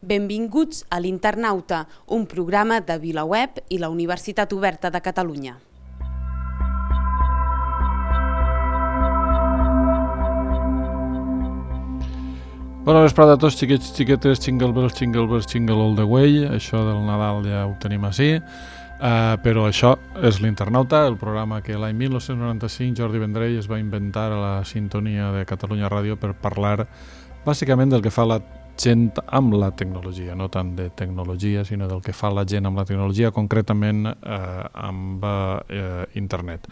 Benvinguts a l'Internauta, un programa de VilaWeb i la Universitat Oberta de Catalunya. Bona vesprada a tots, xiquets, xiquetes, jingle bells, jingle all the way. Això del Nadal ja ho tenim així. Però això és l'Internauta, el programa que l'any 1995 Jordi Vendrell es va inventar a la sintonia de Catalunya Ràdio per parlar bàsicament del que fa la gent amb la tecnologia, no tant de tecnologia, sinó del que fa la gent amb la tecnologia, concretament amb internet.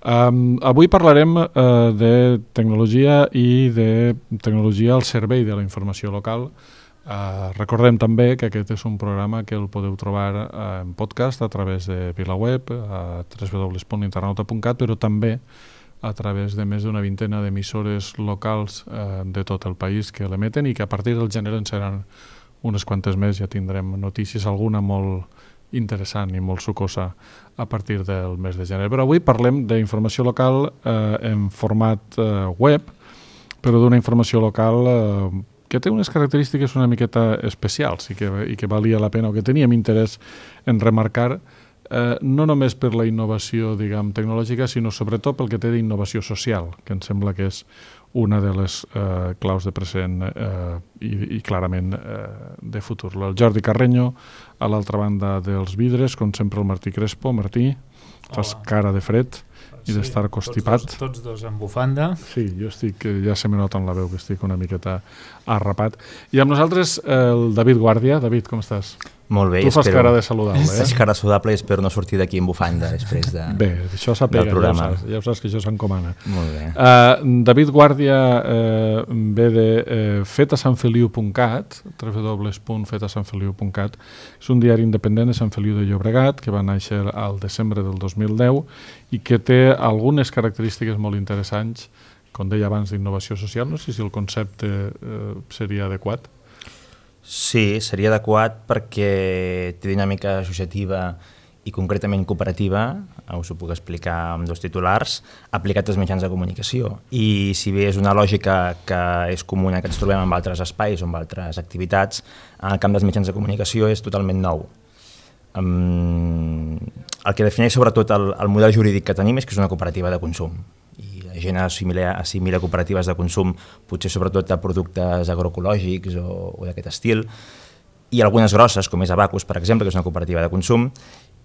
Avui parlarem de tecnologia i de tecnologia al servei de la informació local. Recordem també que aquest és un programa que el podeu trobar en podcast a través de VilaWeb, a www.internauta.cat, però també a través de més d'una vintena d'emissores locals de tot el país que l'emeten i que a partir del gener en seran unes quantes més. Ja tindrem notícies, alguna molt interessant i molt sucosa a partir del mes de gener. Però avui parlem d'informació local en format web, però d'una informació local que té unes característiques una miqueta especials i que valia la pena o que teníem interès en remarcar, no només per la innovació, diguem, tecnològica, sinó sobretot pel que té d'innovació social, que em sembla que és una de les claus de present i clarament de futur. El Jordi Carreño, a l'altra banda dels vidres, com sempre el Martí Crespo. Martí, fas cara de fred i d'estar constipat. Tots dos amb bufanda. Sí, jo estic, ja se me nota en la veu que estic una miqueta arrapat. I amb nosaltres el David Guàrdia. David, com estàs? Molt bé, tu fas cara de saludable, Faig cara saludable i espero no sortir d'aquí en bufanda després Bé, això s'apega, ja ho saps que això s'encomana. Molt bé. David Guàrdia ve de fetasanfeliu.cat, www.fetasanfeliu.cat. És un diari independent de Sant Feliu de Llobregat que va néixer al desembre del 2010 i que té algunes característiques molt interessants, com deia abans, d'innovació social. No sé si el concepte seria adequat. Sí, seria adequat perquè té dinàmica associativa i concretament cooperativa, us ho puc explicar amb dos titulars, aplicat als mitjans de comunicació. I si bé és una lògica que és comuna que ens trobem en altres espais o en altres activitats, en el camp dels mitjans de comunicació és totalment nou. El que defineix sobretot el model jurídic que tenim és que és una cooperativa de consum. I la gent assimila cooperatives de consum potser sobretot a productes agroecològics o d'aquest estil, i algunes grosses, com és Abacus, per exemple, que és una cooperativa de consum,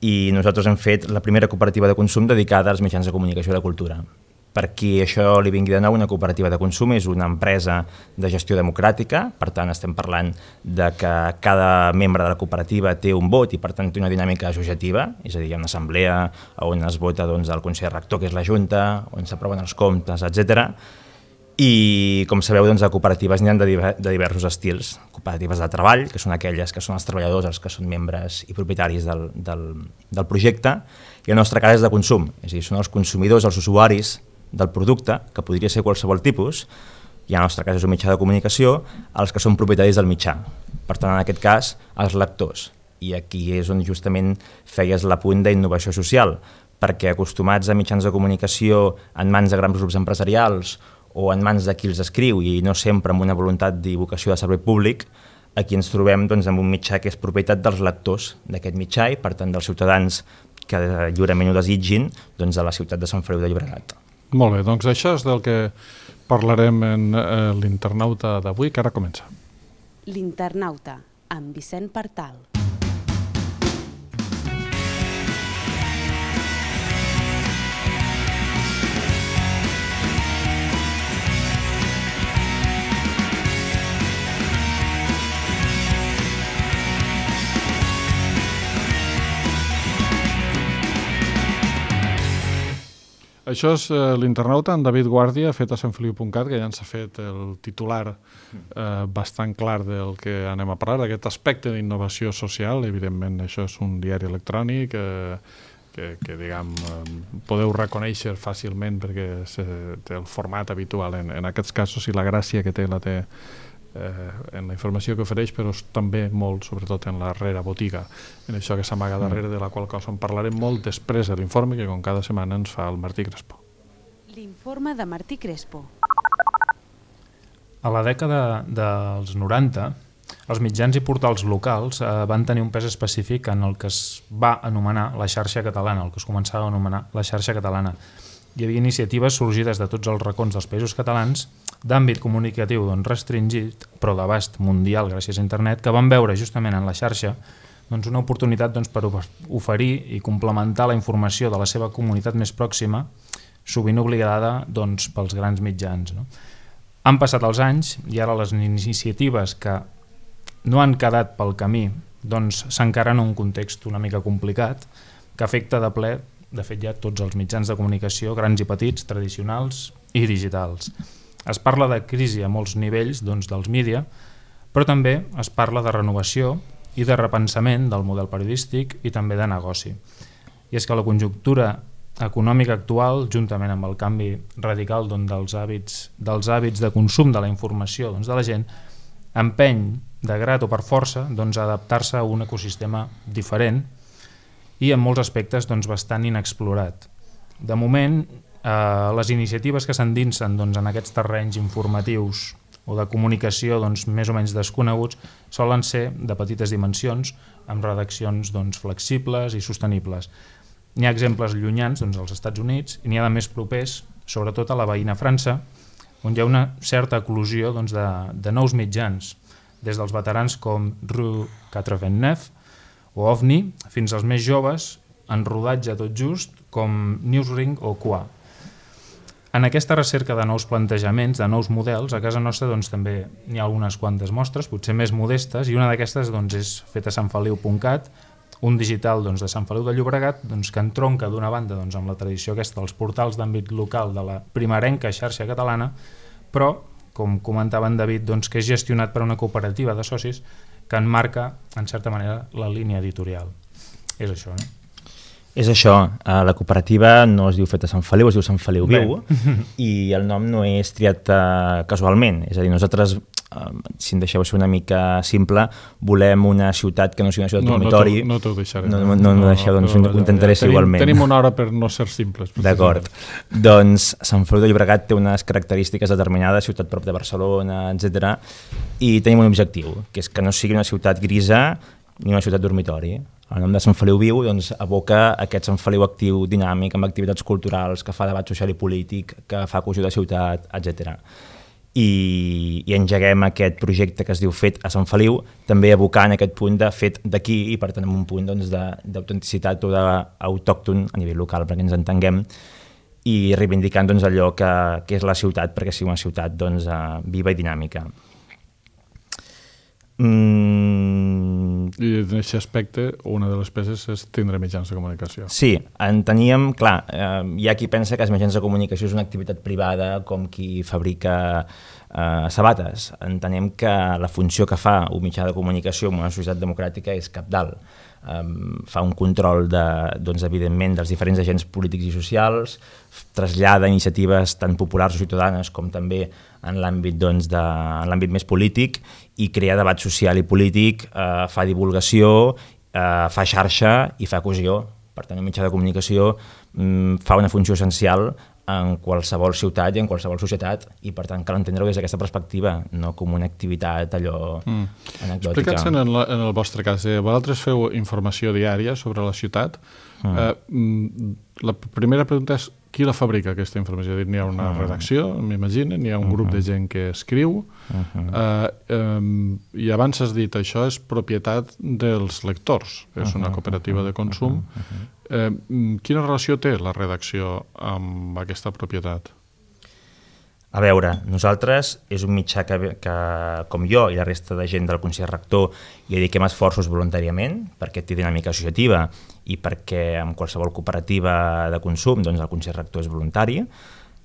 i nosaltres hem fet la primera cooperativa de consum dedicada als mitjans de comunicació de cultura. Per qui això li vingui de nou, una cooperativa de consum és una empresa de gestió democràtica, per tant estem parlant de que cada membre de la cooperativa té un vot i per tant té una dinàmica associativa, és a dir, hi ha una assemblea on es vota el Consell Rector, que és la Junta, on s'aproven els comptes, etc. I com sabeu, de cooperatives n'hi ha de diversos estils. Cooperatives de treball, que són aquelles que són els treballadors, els que són membres i propietaris del projecte, i el nostre cas és de consum, és a dir, són els consumidors, els usuaris del producte, que podria ser qualsevol tipus, i en el nostre cas és un mitjà de comunicació, els que són propietaris del mitjà. Per tant, en aquest cas, els lectors. I aquí és on justament feies l'apunt d'innovació social, perquè acostumats a mitjans de comunicació en mans de grans grups empresarials o en mans de qui els escriu i no sempre amb una voluntat i vocació de servei públic, aquí ens trobem amb un mitjà que és propietat dels lectors d'aquest mitjà i, per tant, dels ciutadans que lliurement ho desitgin, de la ciutat de Sant Feliu de Llobregat. Molt bé, doncs això és del que parlarem en l'Internauta d'avui, que ara comença. L'Internauta, amb Vicent Partal. Això és l'Internauta, en David Guàrdia, fet a sanfeliu.cat, que ja ens ha fet el titular bastant clar del que anem a parlar, d'aquest aspecte d'innovació social. Evidentment, això és un diari electrònic que diguem, podeu reconèixer fàcilment perquè té el format habitual en aquests casos, i la gràcia que té la té en la informació que ofereix, però també molt, sobretot en la botiga, en això que s'amaga darrere, de la qual cosa en parlarem molt després de l'informe que com cada setmana ens fa el Martí Crespo. L'informe de Martí Crespo. A la dècada dels 90 els mitjans i portals locals van tenir un pes específic en el que es va anomenar la xarxa catalana, el que es començava a anomenar la xarxa catalana. Hi havia iniciatives sorgides de tots els racons dels països catalans d'àmbit comunicatiu restringit, però d'abast mundial gràcies a internet, que van veure justament en la xarxa una oportunitat per oferir i complementar la informació de la seva comunitat més pròxima, sovint obligada pels grans mitjans. Han passat els anys i ara les iniciatives que no han quedat pel camí s'encaren en un context una mica complicat que afecta de ple, de fet ja tots els mitjans de comunicació, grans i petits, tradicionals i digitals. Es parla de crisi a molts nivells dels mídia, però també es parla de renovació i de repensament del model periodístic i també de negoci. I és que la conjuntura econòmica actual, juntament amb el canvi radical dels hàbits de consum de la informació de la gent, empeny de grat o per força a adaptar-se a un ecosistema diferent i en molts aspectes bastant inexplorat. De moment, les iniciatives que s'endinsen en aquests terrenys informatius o de comunicació més o menys desconeguts solen ser de petites dimensions, amb redaccions flexibles i sostenibles. N'hi ha exemples llunyans als Estats Units i n'hi ha de més propers, sobretot a la veïna França, on hi ha una certa eclosió de nous mitjans, des dels veterans com Rue 89 o OVNI, fins als més joves, en rodatge tot just, com Newsring o QA. En aquesta recerca de nous plantejaments, de nous models, a casa nostra també n'hi ha algunes quantes mostres, potser més modestes, i una d'aquestes és fetasanfeliu.cat, un digital de Sant Feliu de Llobregat que entronca d'una banda amb la tradició aquesta dels portals d'àmbit local de la primerenca xarxa catalana, però, com comentava en David, que és gestionat per una cooperativa de socis que enmarca, en certa manera, la línia editorial. És això, no? És això, la cooperativa no es diu Feta Sant Feliu, es diu Sant Feliu Viu, i el nom no és triat casualment, és a dir, nosaltres, si em deixeu ser una mica simple, volem una ciutat que no sigui una ciutat dormitori. No t'ho deixaré. No deixeu, doncs ho intentaré ser igualment. Tenim una hora per no ser simples. D'acord. Doncs Sant Feliu de Llobregat té unes característiques determinades, ciutat prop de Barcelona, etc. I tenim un objectiu, que és que no sigui una ciutat grisa ni una ciutat dormitori. El nom de Sant Feliu Viu evoca aquest Sant Feliu actiu, dinàmic, amb activitats culturals, que fa debat social i polític, que fa cohesió de ciutat, etc. I engeguem aquest projecte que es diu Fet a Sant Feliu, també evocant aquest punt de fet d'aquí i per tant amb un punt d'autenticitat o d'autòcton a nivell local, perquè ens entenguem, i reivindicant allò que és la ciutat, perquè sigui una ciutat viva i dinàmica. I en aquest aspecte una de les peces és tindre mitjans de comunicació. Sí, enteníem, clar, hi ha qui pensa que els mitjans de comunicació és una activitat privada com qui fabrica sabates. Entenem que la funció que fa un mitjà de comunicació en una societat democràtica és cabdal. Fa un control evidentment dels diferents agents polítics i socials, trasllada iniciatives tan populars o ciutadanes com també en l'àmbit més polític i crea debat social i polític, fa divulgació, fa xarxa i fa cohesió. Per tant, un mitjà de comunicació fa una funció essencial en qualsevol ciutat i en qualsevol societat i per tant cal entendre-ho des d'aquesta perspectiva, no com una activitat allò anecdòtica. Explica'ns en el vostre cas, vosaltres feu informació diària sobre la ciutat. La primera pregunta és qui la fabrica aquesta informació? N'hi ha una redacció, m'imagino, n'hi ha un grup de gent que escriu i abans has dit això és propietat dels lectors, és una cooperativa de consum. Quina relació té la redacció amb aquesta propietat? A veure, nosaltres és un mitjà que com jo i la resta de gent del Consell Rector hi dediquem esforços voluntàriament perquè té dinàmica associativa i perquè en qualsevol cooperativa de consum el Consell Rector és voluntari.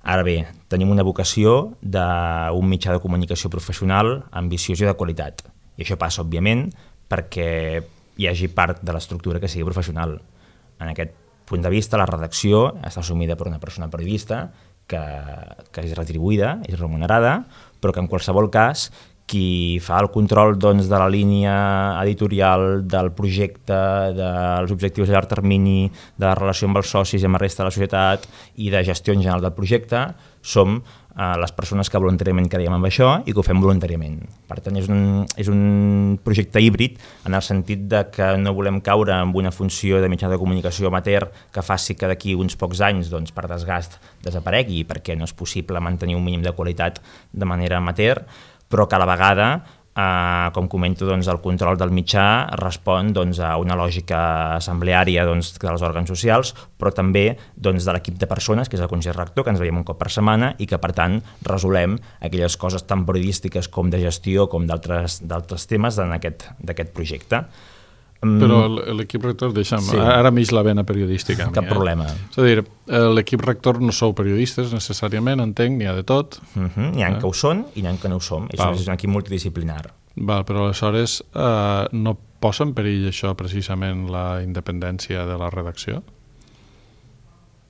Ara bé, tenim una vocació d'un mitjà de comunicació professional ambiciós i de qualitat. I això passa, òbviament, perquè hi hagi part de l'estructura que sigui professional. En aquest punt de vista, la redacció està assumida per una persona periodista que és retribuïda, és remunerada, però que en qualsevol cas qui fa el control doncs, de la línia editorial, del projecte, dels objectius a llarg termini, de la relació amb els socis i amb la resta de la societat i de gestió en general del projecte, som les persones que voluntàriament creiem en això i que ho fem voluntàriament. Per tant, és un projecte híbrid en el sentit de que no volem caure en una funció de mitjà de comunicació amateur que faci que d'aquí uns pocs anys, doncs, per desgast, desaparegui, perquè no és possible mantenir un mínim de qualitat de manera amateur, però que a la vegada, com comento, doncs, el control del mitjà respon doncs, a una lògica assembleària doncs, dels òrgans socials, però també doncs, de l'equip de persones, que és el Consell Rector, que ens veiem un cop per setmana i que, per tant, resolem aquelles coses tan periodístiques com de gestió com d'altres temes d'aquest projecte. Però l'equip rector, deixa'm, sí. Ara m'ix la vena periodística. Cap problema. És a dir, l'equip rector no sou periodistes necessàriament, entenc, n'hi ha de tot. N'hi ha que ho són i n'hi ha que no ho som. Això és un equip multidisciplinar. Val, però aleshores no posa en perill això precisament la independència de la redacció?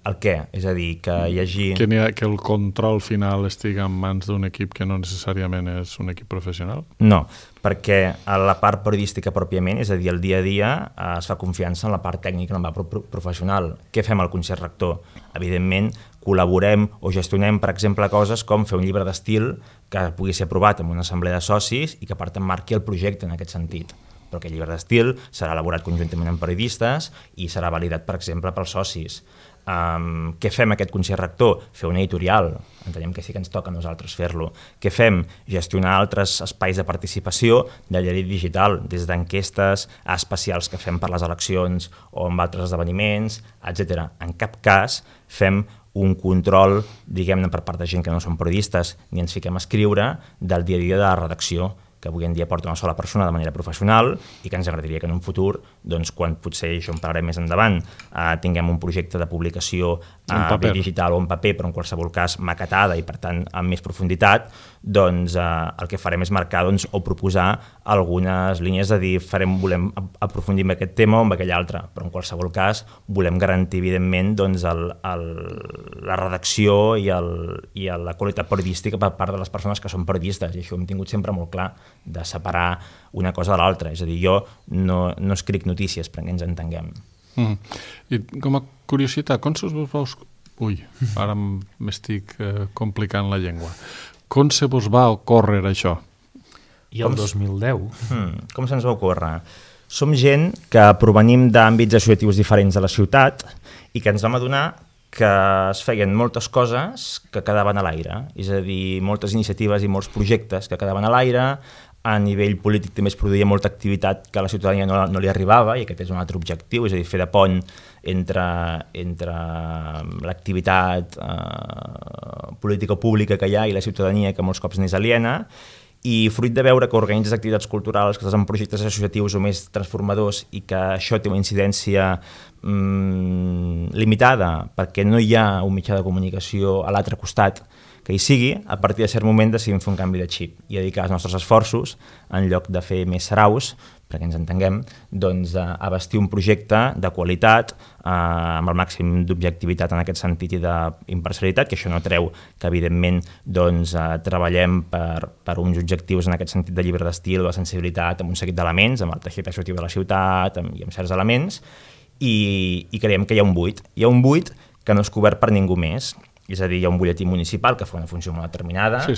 El què? És a dir, que hi hagi... Que el control final estigui en mans d'un equip que no necessàriament és un equip professional? No, perquè a la part periodística pròpiament, és a dir, el dia a dia, es fa confiança en la part tècnica, en la part professional. Què fem al Consell Rector? Evidentment, col·laborem o gestionem, per exemple, coses com fer un llibre d'estil que pugui ser aprovat en una assemblea de socis i que, per tant, marqui el projecte en aquest sentit. Però aquest llibre d'estil serà elaborat conjuntament amb periodistes i serà validat, per exemple, pels socis. Què fem aquest Consell Rector? Fer una editorial, entenem que sí que ens toca a nosaltres fer-lo. Què fem? Gestionar altres espais de participació de diari digital, des d'enquestes a especials que fem per les eleccions o amb altres esdeveniments, etc. En cap cas fem un control, diguem-ne, per part de gent que no són periodistes, ni ens fiquem a escriure del dia a dia de la redacció, que avui en dia porta una sola persona de manera professional i que ens agradaria que en un futur, doncs, quan potser això en parlarem més endavant, tinguem un projecte de publicació bé digital o en paper, però en qualsevol cas maquetada i per tant amb més profunditat, doncs el que farem és marcar doncs, o proposar algunes línies de dir volem aprofundir en aquest tema o en aquell altre, però en qualsevol cas volem garantir evidentment doncs, la redacció i la qualitat periodística per part de les persones que són periodistes, i això ho hem tingut sempre molt clar, de separar una cosa de l'altra. És a dir, jo no escric notícies perquè ens entenguem. I com a curiositat, com se vos va... Ui, ara m'estic complicant la llengua. Com se vos va ocórrer això? I el 2010? Com se'ns va ocórrer? Som gent que provenim d'àmbits associatius diferents de la ciutat i que ens vam adonar que es feien moltes coses que quedaven a l'aire, és a dir, moltes iniciatives i molts projectes que quedaven a l'aire. A nivell polític també es produïa molta activitat que a la ciutadania no li arribava, i aquest és un altre objectiu, és a dir, fer de pont entre l'activitat política pública que hi ha i la ciutadania, que molts cops n'és aliena. I fruit de veure que organitzes activitats culturals, que estàs en projectes associatius o més transformadors i que això té una incidència limitada perquè no hi ha un mitjà de comunicació a l'altre costat que hi sigui, a partir de cert moment decidim fer un canvi de xip i dedicar els nostres esforços, en lloc de fer més saraus, perquè ens entenguem, doncs a bastir un projecte de qualitat amb el màxim d'objectivitat en aquest sentit i d'imparcialitat, que això no treu que evidentment doncs, treballem per uns objectius en aquest sentit de llibre d'estil o de sensibilitat amb un seguit d'elements, amb el teixit associatiu de la ciutat i amb certs elements, i creiem que hi ha un buit. Hi ha un buit que no és cobert per ningú més. És a dir, hi ha un butlletí municipal que fa una funció molt determinada, sí.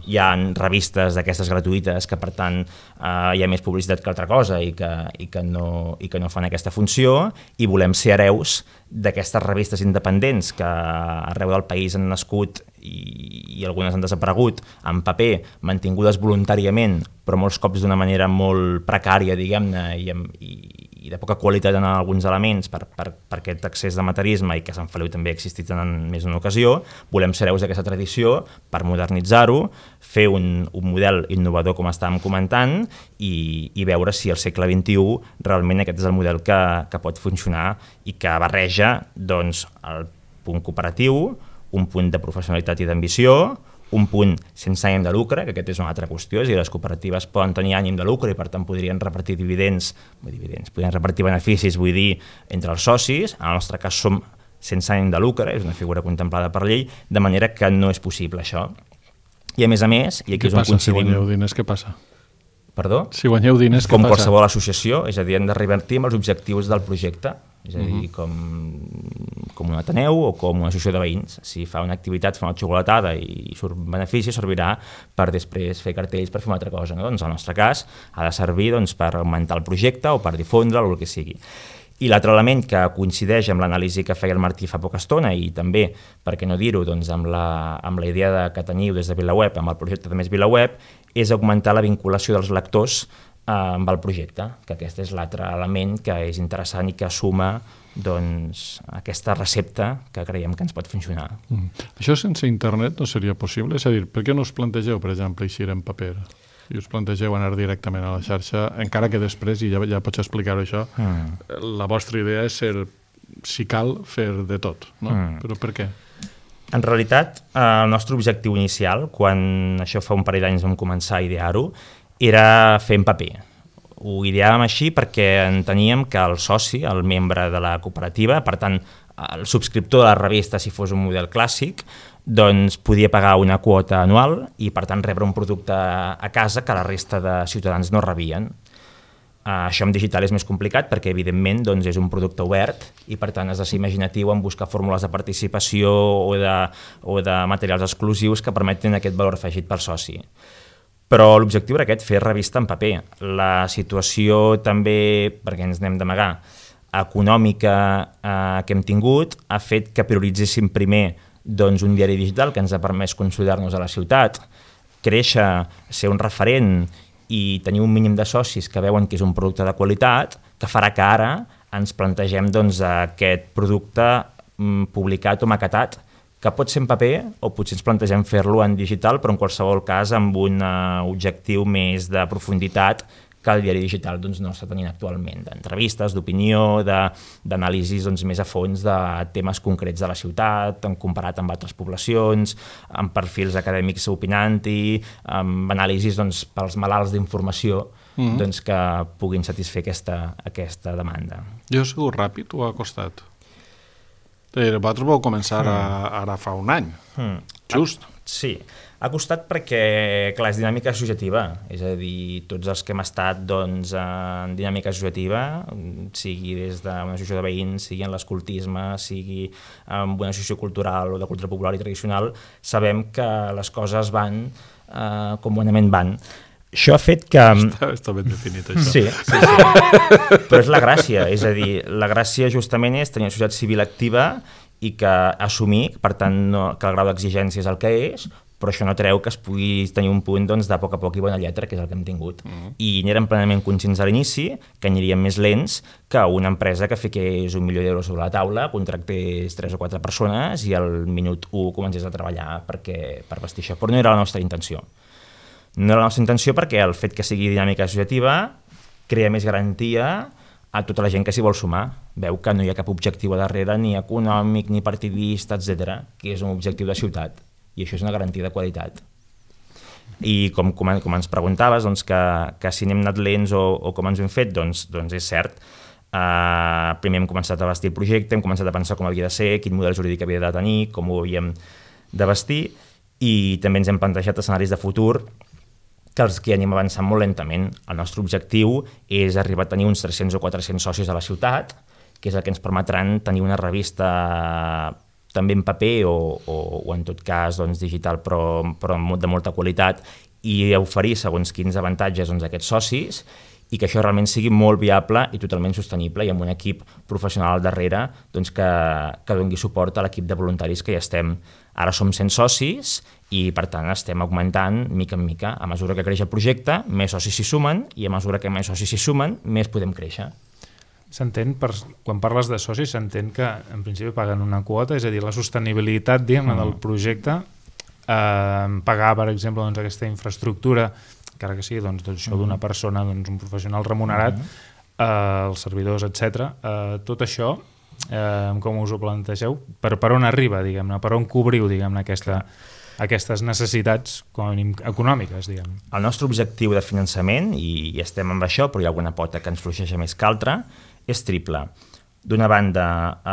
Hi ha revistes d'aquestes gratuïtes que per tant hi ha més publicitat que altra cosa i que no fan aquesta funció, i volem ser hereus d'aquestes revistes independents que arreu del país han nascut i algunes han desaparegut en paper, mantingudes voluntàriament, però molts cops d'una manera molt precària, diguem-ne, i de poca qualitat en alguns elements per aquest excés d'amaterisme i que a Sant Feliu també ha existit en més d'una ocasió. Volem ser hereus d'aquesta tradició per modernitzar-ho, fer un model innovador com estàvem comentant i veure si al segle XXI realment aquest és el model que pot funcionar i que barreja doncs, el punt cooperatiu, un punt de professionalitat i d'ambició, un punt sense ànim de lucre, que aquest és una altra qüestió, és a dir, les cooperatives poden tenir ànim de lucre i per tant podrien repartir podrien repartir beneficis, vull dir, entre els socis. En el nostre cas som sense ànim de lucre, és una figura contemplada per llei, de manera que no és possible això. I a més, i aquí és on coincidim... Si guanyeu diners, què passa? Perdó? Si guanyeu diners, què passa? Com passa? qualsevol associació, és a dir, hem de revertir amb els objectius del projecte, és a dir, com un Ateneu o com una associació de veïns. Si fa una activitat, fa una xocolatada i surt benefici, servirà per després fer cartells per fer una altra cosa. No? Doncs, en el nostre cas, ha de servir per augmentar el projecte o per difondre'l o el que sigui. I l'altre element que coincideix amb l'anàlisi que feia el Martí fa poca estona i també, per què no dir-ho, doncs amb la idea que teniu des de VilaWeb, amb el projecte de Més VilaWeb, és augmentar la vinculació dels lectors amb el projecte, que aquest és l'altre element que és interessant i que suma doncs, aquesta recepta que creiem que ens pot funcionar. Això sense internet no seria possible? És a dir, per què no us plantegeu, per exemple, eixir en paper? I us plantegeu anar directament a la xarxa, encara que després, i ja pots explicar-ho això, la vostra idea és ser, si cal, fer de tot, no? Però per què? En realitat, el nostre objectiu inicial, quan això fa un parell d'anys vam començar a idear-ho, era fer en paper. Ho ideàvem així perquè enteníem que el soci, el membre de la cooperativa, per tant, el subscriptor de la revista, si fos un model clàssic, doncs podia pagar una quota anual i, per tant, rebre un producte a casa que la resta de ciutadans no rebien. Això en digital és més complicat perquè, evidentment, doncs, és un producte obert i, per tant, has de ser imaginatiu en buscar fórmules de participació o de materials exclusius que permetin aquest valor afegit pel soci. Però l'objectiu era aquest, fer revista en paper. La situació també, perquè ens n'hem d'amagar, econòmica que hem tingut ha fet que prioritzéssim primer doncs, un diari digital que ens ha permès consolidar-nos a la ciutat, créixer, ser un referent i tenir un mínim de socis que veuen que és un producte de qualitat, que farà que ara ens plantegem doncs, aquest producte publicat o maquetat, que pot ser en paper o potser ens plantegem fer-lo en digital, però en qualsevol cas amb un objectiu més de profunditat que el diari digital doncs, no està tenint actualment, d'entrevistes, d'opinió, d'anàlisis doncs, més a fons de temes concrets de la ciutat, comparat amb altres poblacions, amb perfils acadèmics opinant-hi, amb anàlisis doncs, pels malalts d'informació doncs, que puguin satisfer aquesta demanda. Jo he sigut ràpid o ha costat? Vosaltres vau començar ara fa un any, just. Sí, ha costat perquè, clar, és dinàmica associativa, és a dir, tots els que hem estat doncs, en dinàmica associativa, sigui des d'una associació de veïns, sigui en l'escoltisme, sigui en una associació cultural o de cultura popular i tradicional, sabem que les coses van com bonament van. Això ha fet que... Està ben definit, això. Sí. Però és la gràcia, és a dir, la gràcia justament és tenir una societat civil activa i que assumir, per tant, que el grau d'exigència és el que és, però això no treu que es pugui tenir un punt doncs, de poc a poc i bona lletra, que és el que hem tingut. I n'érem plenament conscients a l'inici, que aniríem més lents que una empresa que fiqués 1 milió d'euros sobre la taula, contractés 3 o 4 persones i al minut 1 comencés a treballar per vestir això. Però no era la nostra intenció. No era la nostra intenció perquè el fet que sigui dinàmica associativa crea més garantia a tota la gent que s'hi vol sumar. Veu que no hi ha cap objectiu a darrere, ni econòmic, ni partidista, etc., que és un objectiu de ciutat. I això és una garantia de qualitat. I com ens preguntaves, doncs, que si n'hem anat lents o com ens ho hem fet, doncs és cert. Primer hem començat a vestir el projecte, hem començat a pensar com havia de ser, quin model jurídic havia de tenir, com ho havíem de vestir, i també ens hem plantejat escenaris de futur que els que anem avançant molt lentament. El nostre objectiu és arribar a tenir uns 300 o 400 socis a la ciutat, que és el que ens permetran tenir una revista també en paper o en tot cas doncs, digital, però de molta qualitat, i oferir segons quins avantatges doncs, a aquests socis, i que això realment sigui molt viable i totalment sostenible, i amb un equip professional al darrere doncs, que doni suport a l'equip de voluntaris que ja estem. Ara som 100 socis i, per tant, estem augmentant mica en mica. A mesura que creix el projecte, més socis s'hi sumen, i a mesura que més socis s'hi sumen, més podem créixer. S'entén, quan parles de socis, s'entén que en principi paguen una quota, és a dir, la sostenibilitat del projecte, pagar, per exemple, doncs, aquesta infraestructura, encara que sigui doncs, això d'una persona, doncs, un professional remunerat, els servidors, etc. Tot això, com us ho plantegeu? Per on arriba, diguem-ne? Per on cobriu, diguem-ne, aquestes necessitats econòmiques, diguem. El nostre objectiu de finançament, i estem amb això, però hi ha alguna pota que ens fluixeja més que altra, és triple. D'una banda,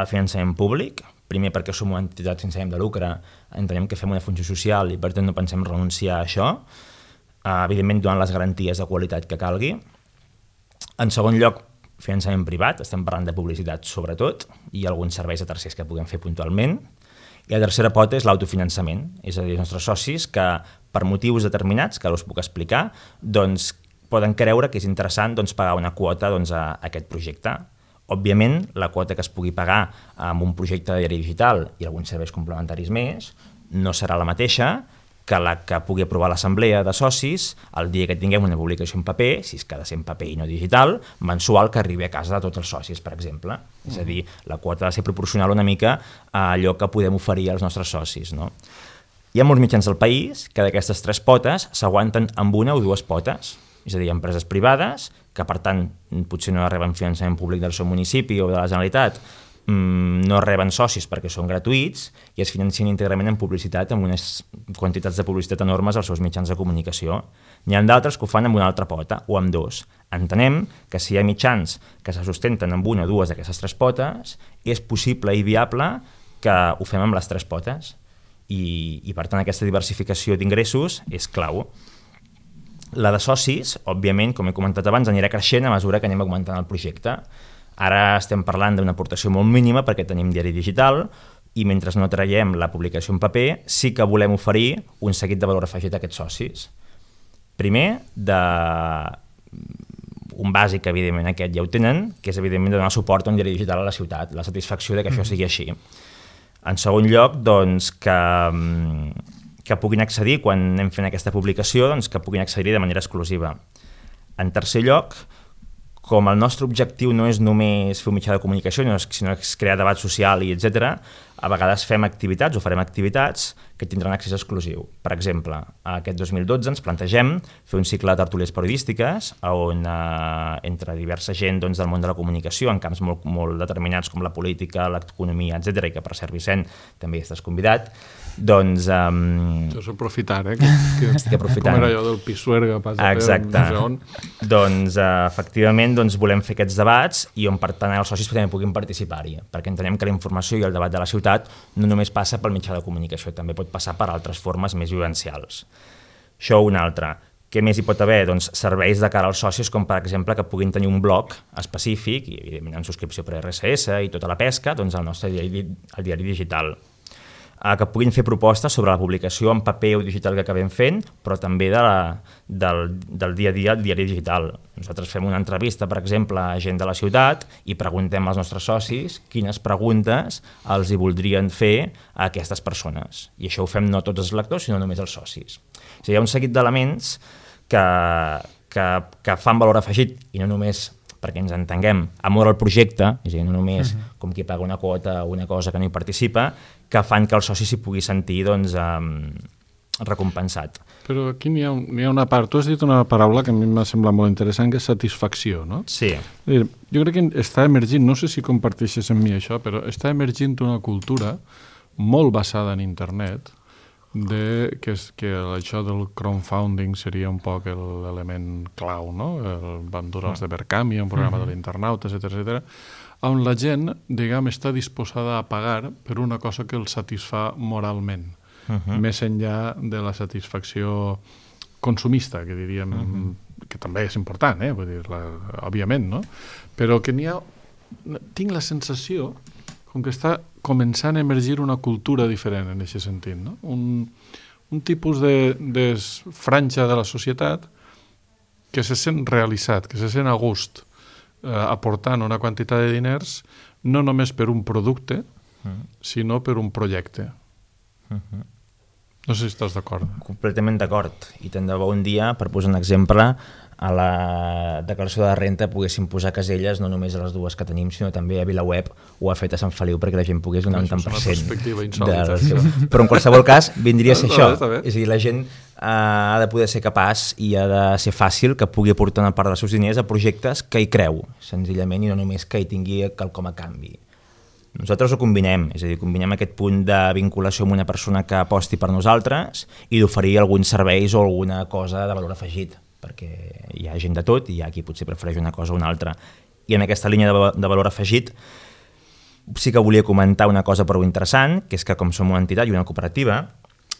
finançament públic, primer perquè som una entitat sense ànim de lucre, entenem que fem una funció social i per tant no pensem renunciar a això, evidentment donant les garanties de qualitat que calgui. En segon lloc, finançament privat, estem parlant de publicitat sobretot, i alguns serveis de tercers que puguem fer puntualment. I la tercera pota és l'autofinançament, és a dir, els nostres socis que per motius determinats, que ara us puc explicar, doncs poden creure que és interessant pagar una quota a aquest projecte. Òbviament, la quota que es pugui pagar amb un projecte de diari digital i alguns serveis complementaris més no serà la mateixa que la que pugui aprovar l'assemblea de socis el dia que tinguem una publicació en paper, si és que ha de ser en paper i no digital, mensual que arribi a casa de tots els socis, per exemple. És a dir, la quota ha de ser proporcional una mica a allò que podem oferir als nostres socis, no? Hi ha molts mitjans del país que d'aquestes 3 potes s'aguanten amb una o 2 potes, és a dir, empreses privades, que per tant potser no reben finançament públic del seu municipi o de la Generalitat, no reben socis perquè són gratuïts i es financen íntegrament en publicitat amb unes quantitats de publicitat enormes als seus mitjans de comunicació. N'hi ha d'altres que ho fan amb una altra pota o amb 2. Entenem que si hi ha mitjans que se sustenten amb una o 2 d'aquestes 3 potes, és possible i viable que ho fem amb les 3 potes i per tant aquesta diversificació d'ingressos és clau. La de socis, òbviament, com he comentat abans, anirà creixent a mesura que anem augmentant el projecte. Ara estem parlant d'una aportació molt mínima perquè tenim diari digital i mentre no traiem la publicació en paper sí que volem oferir un seguit de valor afegit a aquests socis. Primer, un bàsic, evidentment, aquest ja ho tenen, que és evidentment donar suport a un diari digital a la ciutat, la satisfacció de que això sigui així. En segon lloc, doncs, que puguin accedir, quan anem fent aquesta publicació, doncs, que puguin accedir de manera exclusiva. En tercer lloc, com el nostre objectiu no és només fer un mitjà de comunicació, sinó és crear debat social i etc., a vegades fem activitats o farem activitats que tindran accés exclusiu. Per exemple, aquest 2012 ens plantegem fer un cicle de tertúlies periodístiques on entre diversa gent del món de la comunicació en camps molt determinats com la política, l'economia, etc., i que per cert, Vicent, també estàs convidat, doncs... Això és aprofitar, estic aprofitant. Com era allò del Pisuerga, exacte. Doncs, efectivament, volem fer aquests debats i on, per tant, els socis també puguin participar-hi, perquè entenem que la informació i el debat de la ciutat no només passa pel mitjà de comunicació, també pot passar per altres formes més vivencials. Això una altra. Què més hi pot haver? Doncs serveis de cara als socis, com per exemple que puguin tenir un blog específic, i evidentment en subscripció per RSS i tota la pesca, doncs el nostre diari digital. Que puguin fer propostes sobre la publicació en paper o digital que acabem fent, però també del dia a dia al diari digital. Nosaltres fem una entrevista, per exemple, a gent de la ciutat i preguntem als nostres socis quines preguntes els hi voldrien fer a aquestes persones. I això ho fem no tots els lectors, sinó només els socis. O sigui, hi ha un seguit d'elements que fan valor afegit, i no només perquè ens entenguem, amor al projecte, és a dir, no només com qui paga una quota o una cosa que no hi participa, que fan que el soci s'hi pugui sentir recompensat. Però aquí n'hi ha una part, tu has dit una paraula que a mi m'ha semblat molt interessant, que és satisfacció, no? Sí. Jo crec que està emergint, no sé si comparteixes amb mi això, però està emergint una cultura molt basada en internet, que això del crowdfunding seria un poc l'element clau, no? El Bandurals de Verkami, un programa de l'internauta, etc., on la gent, diguem, està disposada a pagar per una cosa que el satisfà moralment, més enllà de la satisfacció consumista, que diríem, que també és important, vull dir, òbviament, no? Però que tinc la sensació com que està començant a emergir una cultura diferent en aquest sentit, no? Un tipus de franja de la societat que se sent realitzat, que se sent a gust, aportant una quantitat de diners no només per un producte, sinó per un projecte. No sé si estàs d'acord. Completament d'acord. I tant de bo un dia, per posar un exemple, a la declaració de renta poguéssim posar caselles no només a les 2 que tenim, sinó també a VilaWeb o a fet a Sant Feliu perquè la gent pogués donar un tant per cent. Però en qualsevol cas vindria a ser això. És a dir, la gent ha de poder ser capaç i ha de ser fàcil que pugui aportar una part dels seus diners a projectes que hi creu, senzillament, i no només que hi tingui quelcom a canvi. Nosaltres ho combinem, és a dir, combinem aquest punt de vinculació amb una persona que aposti per nosaltres i d'oferir alguns serveis o alguna cosa de valor afegit, perquè hi ha gent de tot i hi ha qui potser prefereix una cosa o una altra. I en aquesta línia de valor afegit sí que volia comentar una cosa prou interessant, que és que com som una entitat i una cooperativa,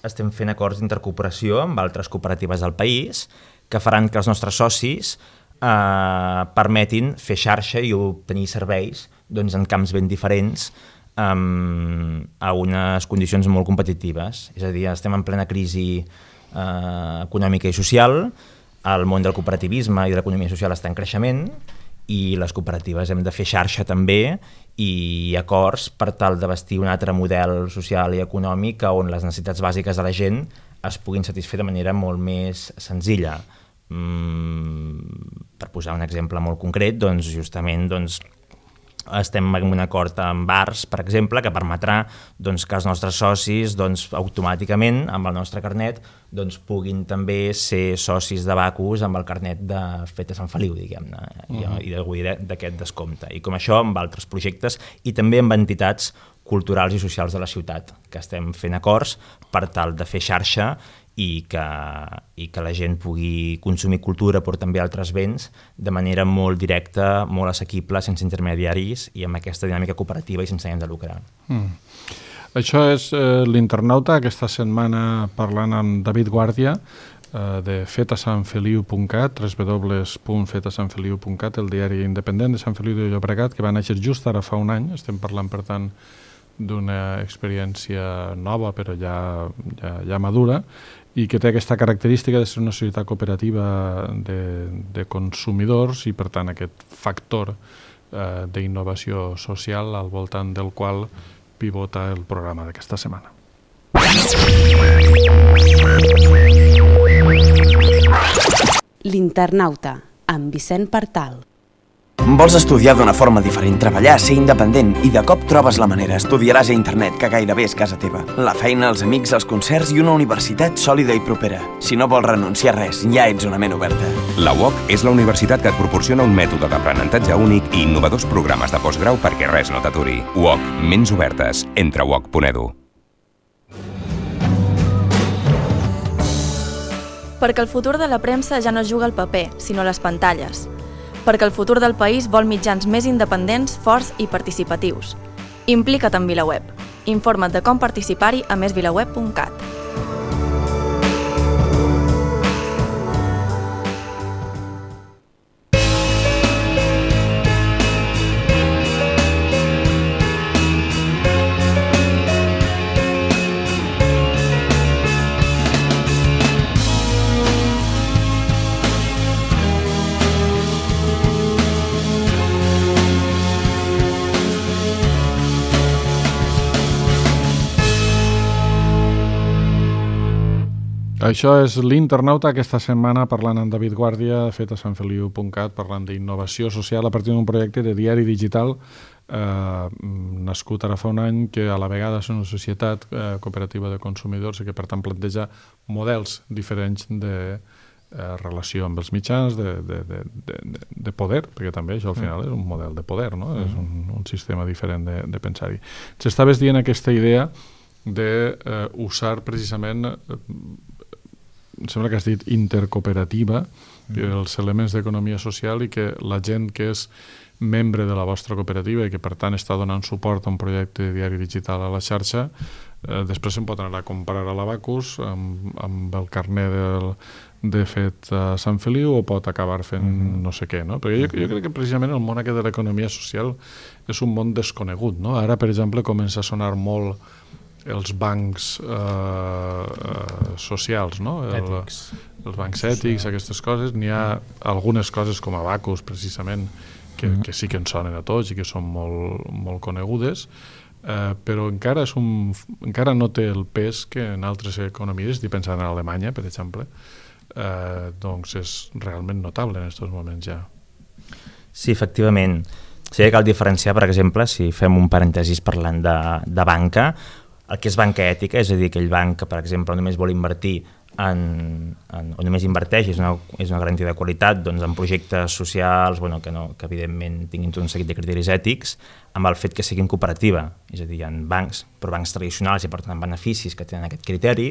estem fent acords d'intercooperació amb altres cooperatives del país que faran que els nostres socis permetin fer xarxa i obtenir serveis doncs, en camps ben diferents a unes condicions molt competitives. És a dir, estem en plena crisi econòmica i social, el món del cooperativisme i de l'economia social està en creixement i les cooperatives hem de fer xarxa també i acords per tal de vestir un altre model social i econòmic on les necessitats bàsiques de la gent es puguin satisfer de manera molt més senzilla. Per posar un exemple molt concret, doncs, justament estem en un acord amb bars, per exemple, que permetrà doncs, que els nostres socis doncs, automàticament, amb el nostre carnet, doncs, puguin també ser socis de Bacus amb el carnet de Feta Sant Feliu, diguem-ne, i de gaudir d'aquest descompte. I com això, amb altres projectes i també amb entitats culturals i socials de la ciutat, que estem fent acords per tal de fer xarxa i que la gent pugui consumir cultura però també altres béns de manera molt directa, molt assequible, sense intermediaris i amb aquesta dinàmica cooperativa i sense ànim de lucrar. Això és l'Internauta, aquesta setmana parlant amb David Guàrdia de fetasanfeliu.cat, www.fetasanfeliu.cat, el diari independent de Sant Feliu de Llobregat, que va néixer just ara fa un any. Estem parlant, per tant, d'una experiència nova però ja madura i que té aquesta característica de ser una societat cooperativa de consumidors i per tant aquest factor d'innovació social al voltant del qual pivota el programa d'aquesta setmana. L'Internauta, amb Vicent Partal. Vols estudiar d'una forma diferent, treballar, ser independent i de cop trobes la manera. Estudiaràs a internet, que gairebé és casa teva. La feina, els amics, els concerts i una universitat sòlida i propera. Si no vols renunciar a res, ja ets una ment oberta. La UOC és la universitat que et proporciona un mètode d'aprenentatge únic i innovadors programes de postgrau perquè res no t'aturi. UOC, ments obertes. Entra a uoc.edu. Perquè el futur de la premsa ja no juga al paper, sinó a les pantalles. Perquè el futur del país vol mitjans més independents, forts i participatius. Implica't en VilaWeb. Informa't de com participar-hi a mesvilaweb.cat. Això és l'Internauta, aquesta setmana parlant amb David Guàrdia, fetasanfeliu.cat, parlant d'innovació social a partir d'un projecte de diari digital nascut ara fa un any, que a la vegada és una societat cooperativa de consumidors i que per tant planteja models diferents de relació amb els mitjans, de poder, perquè també això al final és un model de poder, no? És un sistema diferent de pensar-hi. S'estaves dient aquesta idea d'usar precisament, em sembla que has dit intercooperativa, els elements d'economia social, i que la gent que és membre de la vostra cooperativa i que per tant està donant suport a un projecte de diari digital a la xarxa, després se'n pot anar a comprar a l'Abacus amb el carnet de fet a Sant Feliu, o pot acabar fent no sé què, no? Perquè jo crec que precisament el món aquest de l'economia social és un món desconegut, no? Ara, per exemple, comença a sonar molt els bancs socials, no? Els bancs ètics, aquestes coses. N'hi ha algunes coses com Abacus, precisament, que sí que ens sonen a tots i que són molt conegudes, però encara no té el pes que en altres economies, estic pensant en Alemanya, per exemple, doncs és realment notable en aquests moments ja. Sí, efectivament. Sí que cal diferenciar, per exemple, si fem un parèntesis parlant de banca, el que és banca ètica, és a dir, aquell banc que, per exemple, només vol invertir o només inverteix, és una garantia de qualitat, doncs en projectes socials que evidentment tinguin tot un seguit de criteris ètics, amb el fet que siguin cooperativa, és a dir, hi ha bancs, però bancs tradicionals i per tant beneficis que tenen aquest criteri,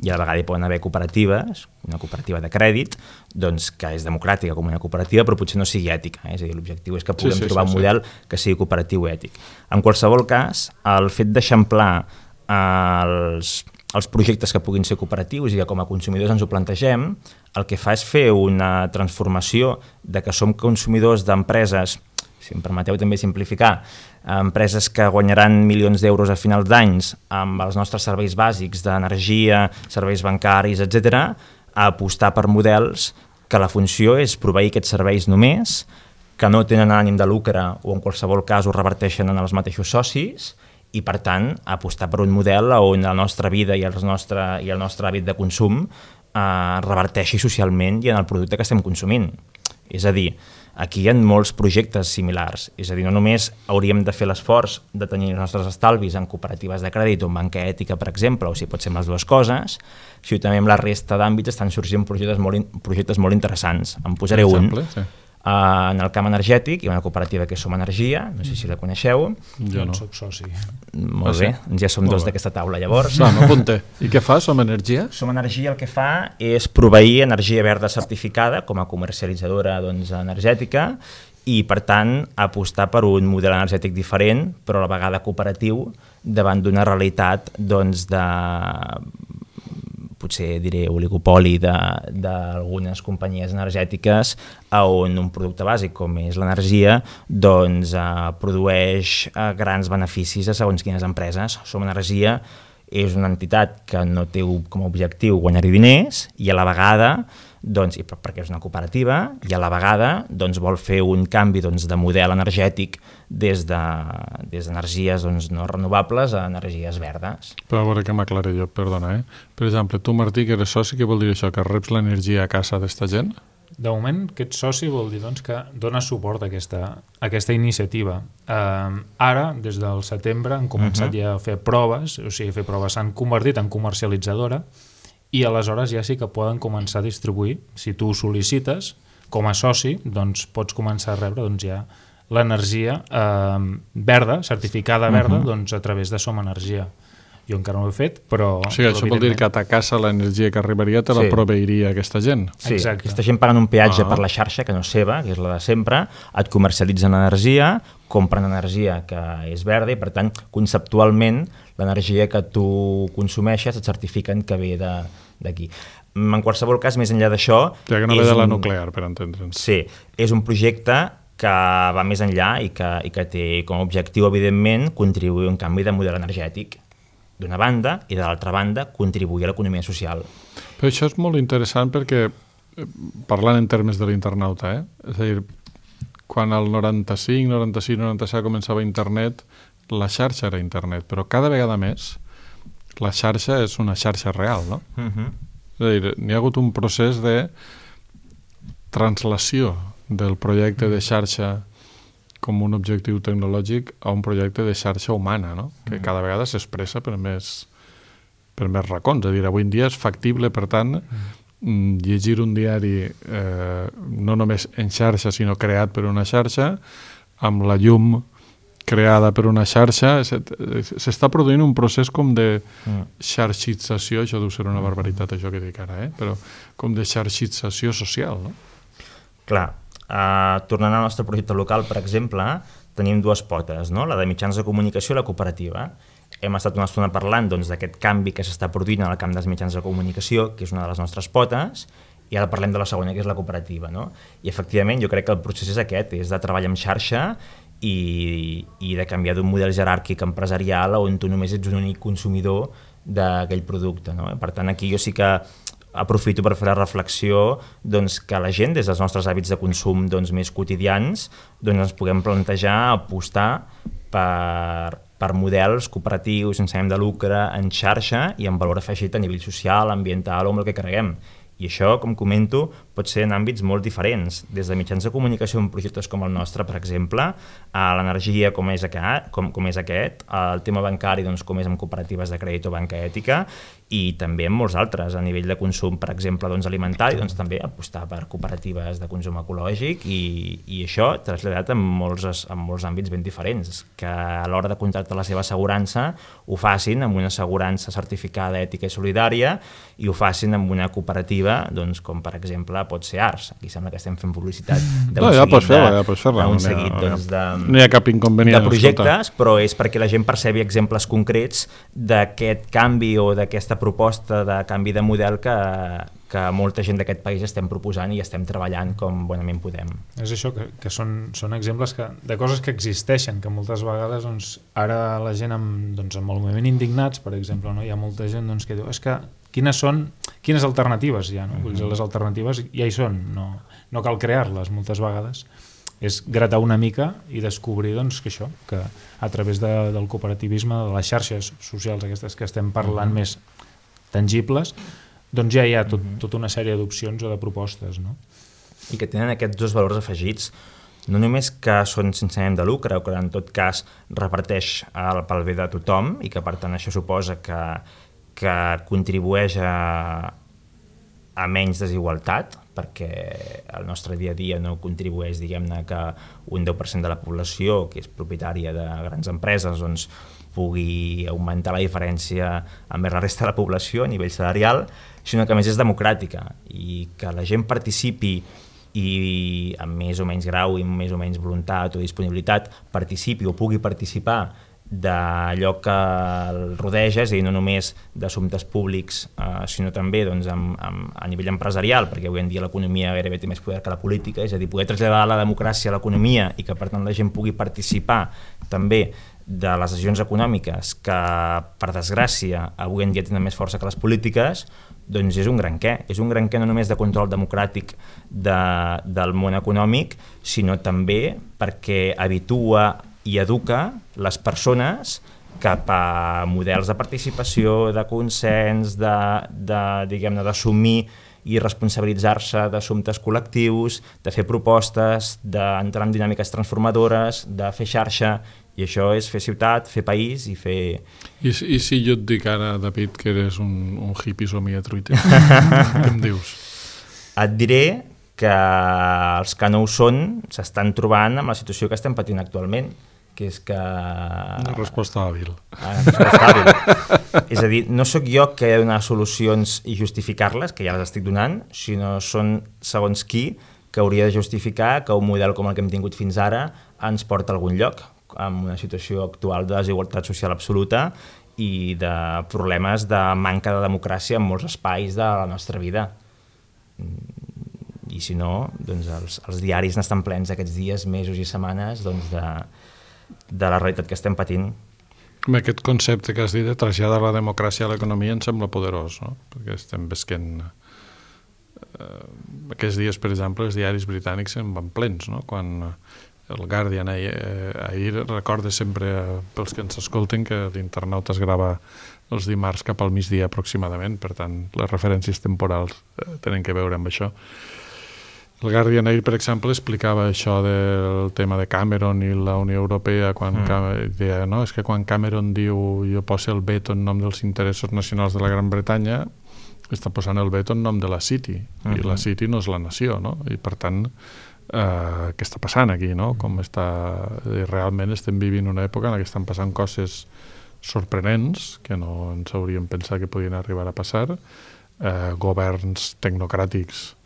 i a la vegada hi poden haver cooperatives, una cooperativa de crèdit, doncs que és democràtica com una cooperativa, però potser no sigui ètica, és a dir, l'objectiu és que puguem trobar un model que sigui cooperatiu i ètic. En qualsevol cas, el fet d'eixamplar els projectes que puguin ser cooperatius i que com a consumidors ens ho plantegem, el que fa és fer una transformació de que som consumidors d'empreses, si em permeteu també simplificar, empreses que guanyaran milions d'euros a finals d'anys amb els nostres serveis bàsics d'energia, serveis bancaris, etc., a apostar per models que la funció és proveir aquests serveis només, que no tenen ànim de lucre o en qualsevol cas ho reverteixen en els mateixos socis, i per tant apostar per un model on la nostra vida i el nostre hàbit de consum reverteixi socialment i en el producte que estem consumint. És a dir, aquí hi ha molts projectes similars, és a dir, no només hauríem de fer l'esforç de tenir els nostres estalvis en cooperatives de crèdit o en banca ètica, per exemple, o si pot ser les dues coses, sinó també en la resta d'àmbits estan sorgint projectes molt interessants. En posaré un. Sí. En el camp energètic hi ha una cooperativa que és Som Energia, no sé si la coneixeu. Jo no soc soci. Molt bé, ja som dos d'aquesta taula llavors. M'apunte. I què fa Som Energia? Som Energia el que fa és proveir energia verda certificada com a comercialitzadora energètica i per tant apostar per un model energètic diferent però a la vegada cooperatiu davant d'una realitat de potser diré oligopoli d'algunes companyies energètiques on un producte bàsic com és l'energia produeix grans beneficis a segons quines empreses. Som Energia és una entitat que no té com a objectiu guanyar-hi diners i a la vegada, perquè és una cooperativa, i a la vegada vol fer un canvi de model energètic des d'energies no renovables a energies verdes. Però a veure que m'aclaré jo, perdona. Per exemple, tu, Martí, que eres soci, què vol dir això? Que reps l'energia a casa d'esta gent? De moment, aquest soci vol dir que dona suport a aquesta iniciativa. Ara, des del setembre, han començat ja a fer proves, s'han convertit en comercialitzadora i aleshores ja sí que poden començar a distribuir. Si tu ho sol·licites, com a soci, pots començar a rebre ja l'energia verda, certificada verda, a través de Som Energia. Jo encara no ho he fet, però... O sigui, això vol dir que a ta casa l'energia que arribaria te la proveiria aquesta gent? Sí, aquesta gent paguen un peatge per la xarxa, que no és seva, que és la de sempre, et comercialitzen energia, compren energia que és verda i, per tant, conceptualment, l'energia que tu consumeixes et certifiquen que ve d'aquí. En qualsevol cas, més enllà d'això... Ja que no ve de la nuclear, per entendre'ns. Sí, és un projecte que va més enllà i que té com a objectiu, evidentment, contribuir a un canvi de model energètic d'una banda i de l'altra banda contribuir a l'economia social. Però això és molt interessant perquè, parlant en termes de l'internauta, és a dir, quan el 95, 96, 97 començava internet, la xarxa era internet, però cada vegada més la xarxa és una xarxa real, no? És a dir, n'hi ha hagut un procés de translació del projecte de xarxa com un objectiu tecnològic a un projecte de xarxa humana, no? Que cada vegada s'expressa per més racons. És a dir, avui en dia és factible, per tant, llegir un diari no només en xarxa, sinó creat per una xarxa, amb la llum creada per una xarxa. S'està produint un procés com de xarxització, això deu ser una barbaritat, això que dic ara, però com de xarxització social, no? Clar. Tornant al nostre projecte local, per exemple, tenim dues potes, no? La de mitjans de comunicació i la cooperativa. Hem estat una estona parlant d'aquest canvi que s'està produint en el camp dels mitjans de comunicació, que és una de les nostres potes, i ara parlem de la segona, que és la cooperativa, no? I efectivament jo crec que el procés és aquest, és de treballar en xarxa i de canviar d'un model jeràrquic empresarial on tu només ets un únic consumidor d'aquell producte, no? Per tant, aquí jo sí que aprofito per fer la reflexió que la gent, des dels nostres hàbits de consum més quotidians, ens puguem plantejar apostar per models cooperatius sense ànim de lucre, en xarxa i amb valor afegit a nivell social, ambiental o amb el que creguem. I això, com comento, pot ser en àmbits molt diferents, des de mitjans de comunicació en projectes com el nostre, per exemple, a l'energia com és aquest, el tema bancari doncs, com és amb cooperatives de crèdit o banca ètica, i també en molts altres, a nivell de consum, per exemple, doncs, alimentari, doncs, també apostar per cooperatives de consum ecològic i això traslladat en molts àmbits ben diferents, que a l'hora de contractar la seva assegurança ho facin amb una assegurança certificada, ètica i solidària i ho facin amb una cooperativa, doncs, com per exemple pot ser Ars. Aquí sembla que estem fent publicitat d'un seguit no hi ha cap inconvenient de projectes, però és perquè la gent percebi exemples concrets d'aquest canvi o d'aquesta proposta de canvi de model que molta gent d'aquest país estem proposant i estem treballant com bonament podem. És això, que són exemples de coses que existeixen, que moltes vegades doncs, ara la gent amb el moviment Indignats, per exemple, no? Hi ha molta gent doncs, que diu és que quines alternatives hi ha? No? Les alternatives ja hi són, no cal crear-les moltes vegades. És gratar una mica i descobrir doncs, que a través del cooperativisme, de les xarxes socials aquestes que estem parlant més tangibles, doncs ja hi ha tota una sèrie d'opcions o de propostes. No? I que tenen aquests dos valors afegits, no només que són sense ànim de lucre o que en tot cas reparteix pel bé de tothom i que per tant això suposa que contribueix a menys desigualtat, perquè el nostre dia a dia no contribueix, diguem-ne, que un 10% de la població, que és propietària de grans empreses, doncs pugui augmentar la diferència amb la resta de la població a nivell salarial, sinó que a més és democràtica i que la gent participi i amb més o menys grau i amb més o menys voluntat o disponibilitat participi o pugui participar d'allò que el rodeja, és a dir, no només d'assumptes públics, sinó també doncs, a nivell empresarial, perquè avui en dia l'economia gairebé té més poder que la política, és a dir, poder traslladar la democràcia a l'economia i que per tant la gent pugui participar també de les decisions econòmiques que, per desgràcia, avui en dia tenen més força que les polítiques, doncs és un gran què. És un gran què no només de control democràtic del món econòmic, sinó també perquè habitua i educa les persones cap a models de participació, de consens, diguem-ne, d'assumir i responsabilitzar-se d'assumptes col·lectius, de fer propostes, d'entrar en dinàmiques transformadores, de fer xarxa, i això és fer ciutat, fer país i fer... I si jo et dic ara, David, que eres un hippie somiatruiter, què em dius? Et diré que els que no ho són s'estan trobant amb la situació que estem patint actualment, que és que... Una resposta hàbil. És a dir, no sóc jo que he de donar solucions i justificar-les, que ja les estic donant, sinó són segons qui que hauria de justificar que un model com el que hem tingut fins ara ens porta a algun lloc, amb una situació actual de desigualtat social absoluta i de problemes de manca de democràcia en molts espais de la nostra vida. I si no, doncs els diaris n'estan plens aquests dies, mesos i setmanes doncs de la realitat que estem patint. Aquest concepte que has dit de traslladar la democràcia a l'economia em sembla poderós, no? Perquè estem visquent... Aquests dies, per exemple, els diaris britànics en van plens, no? Quan el Guardian ahir recorda sempre, pels que ens escolten, que l'internauta es grava els dimarts cap al migdia aproximadament, per tant, les referències temporals tenen que veure amb això. El Guardian ahir, per exemple, explicava això del tema de Cameron i la Unió Europea, quan deia, no, és que quan Cameron diu jo poso el veto en nom dels interessos nacionals de la Gran Bretanya, està posant el veto en nom de la City, i la City no és la nació, no? I per tant, què està passant aquí, no? Realment estem vivint una època en què estan passant coses sorprenents, que no ens hauríem pensat que podien arribar a passar, governs tecnocràtics